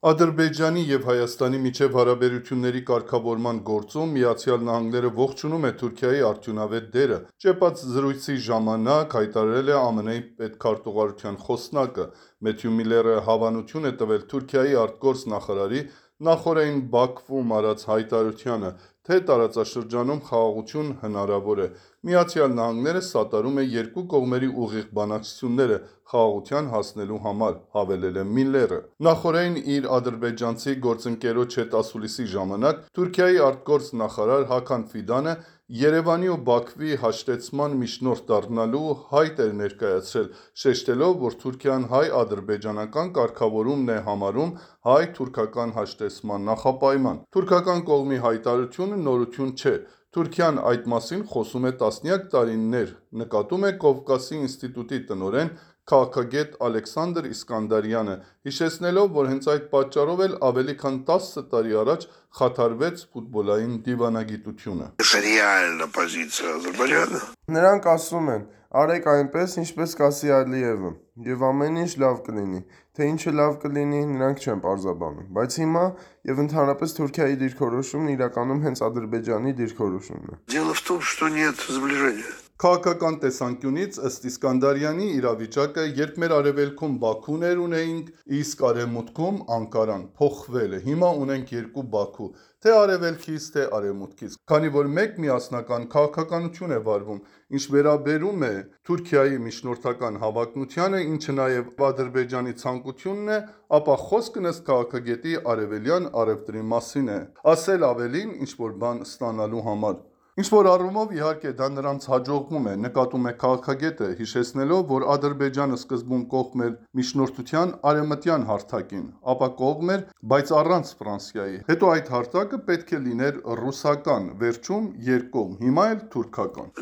Ադրբեջանի և Հայաստանի միջև հարաբերությունների կարգավորման գործում Միացյալ Նահանգները ողջունում է Թուրքիայի արդյունավետ դերը, ճեպած զրույցի ժամանակ հայտարարել է ԱՄՆ-ի պետքարտուղարության խոսնակը։ Մեթյու Միլլերը հավանություն է տվել Թուրքիայի արտգործնախարարի նախօրեին Բաքվում արած հայտարարությանը, թե տարածաշրջանում խաղաղություն հնարավոր է։ Միացյալ Նահանգները սատարում է երկու կողմերի ուղիղ բանակցությունները խաղաղության հասնելու համար, հավելել է Միլլերը։ Նախօրեին իր ադրբեջանցի գործընկերոջ հետ ասուլիսի ժամանակ Թուրքիայի արտգործնախարար Հական Ֆիդանը Երևանի ու Բաքվի հաշտեցման միջնորդ դառնալու հայտ էր ներկայացրել, շեշտելով, որ Թուրքիան հայ-ադրբեջանական կարգավորումն է համարում հայ-թուրքական հաշտեցման նախապայման։ Թուրքական կողմի հայտարարությունը նորություն չէ։ Թուրքիան այդ մասին խոսում է տասնյակ տարիներ, նկատում է Կովկասի ինստիտուտի տնօրեն, քաղաքագետ Ալեքսանդր Իսկանդարյանը, հիշեցնելով, որ հենց այդ պատճառով էլ ավելի քան 10 տարի առաջ խաթարվեց ֆուտբոլային դիվանագիտությունը։ Նրանք ասում են, արեք այնպես, ինչպես կասի Ալիևը, և ամեն ինչ լավ կլինի, թե ինչը լավ կլինի, նրանք չեն պարզաբանում, բայց հիմա և ընդհանրապես Թուրքիայի դիրքորոշումն իրականում հենց Ադրբեջանի դիրքորոշումն է։ Քաղաքական տեսանկյունից, ըստ Իսկանդարյանի, իրավիճակը, երբ մեր արևելքում Բաքուներ ունեինք, իսկ արևմուտքում Անկարան, փոխվել է։ Հիմա ունենք երկու Բաքու, թե արևելքից, թե արևմուտքից, քանի որ մեկ միասնական քաղաքականություն է վարվում։ Ինչ վերաբերում է Թուրքիայի միջնորդական հավակնությանը, ինչը նաև Ադրբեջանի ցանկությունն է, ապա խոսքն ըստ քաղաքագետի արևելյան առևտրի մասին է, ասել ավելին ինչ-որ բան ստանալու համար։ Ինչ-որ առումով, իհարկե, դա նրանց հաջողվում է, նկատում է քաղաքագետը, հիշեցնելով, որ Ադրբեջանը սկզբում կողմ էր միջնորդության արևմտյան հարթակին, ապա կողմ էր, բայց առանց Ֆրանսիայի։ Հետո այդ հարթակը պետք է լիներ ռուսական, վերջում երկկողմ, հիմա էլ թուրքական։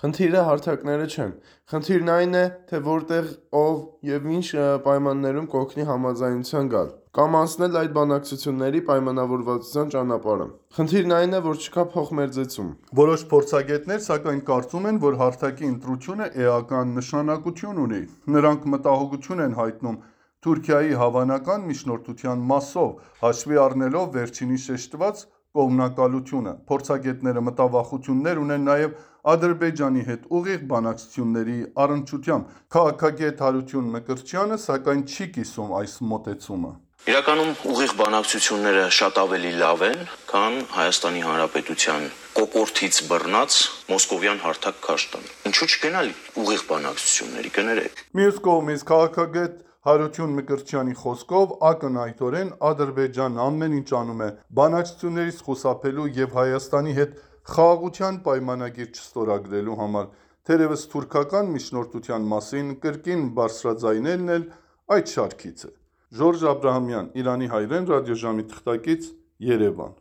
Խնդիրը հարթակները չեն։ Խնդիրն այն է, թե որտեղ, ով և ինչ պայմաններում կօգնի համաձայնության գալ, կամ անցնել այդ բանակցությունների պայմանավորվածության ճանապարհը։ Խնդիրն այն է, որ չկա փոխմերձեցում։ Որոշ փորձագետներ, սակայն, կարծում են, որ հարթակի ընտրությունը էական նշանակություն ունի։ Նրանք մտահոգություն են հայտնում Թուրքիայի հավանական միջնորդության մասով, հաշվի առնելով վերջինիս շեշտված կողմնակալությունը։ Փորձագետները մտավախություններ ունեն նաև Ադրբեջանի հետ ուղիղ բանակցությունների առնչությամբ։ Քաղաքագետ Հարություն Մկրտչյանը, սակայն, չի կիսում այս մոտեցումը։ Իրականում ուղիղ բանակցությունները շատ ավելի լավ են, քան Հայաստանի Հանրապետության կոկորդից բռնած մոսկովյան հարթակ քաշտան։ Ինչու չգնալ ուղիղ բանակցությունների, կներեք։ Մյուս կողմից քաղաքագետ Հարություն Մկրտչյանի խոսքով ակնհայտորեն Ադրբեջանն ամեն ինչ անում է բանակցություններից խուսափելու և Հայաստանի հետ խաղաղության պայմանագիր չստորագրելու համար։ Թերևս թուրքական միջնորդության մասին կրկին բարձրաձայնելն էլ այդ շարքից է։ Ժորժ Աբրահամյան, Իրանի հայրեն, ռադիոժամի թղթակից, Երևան։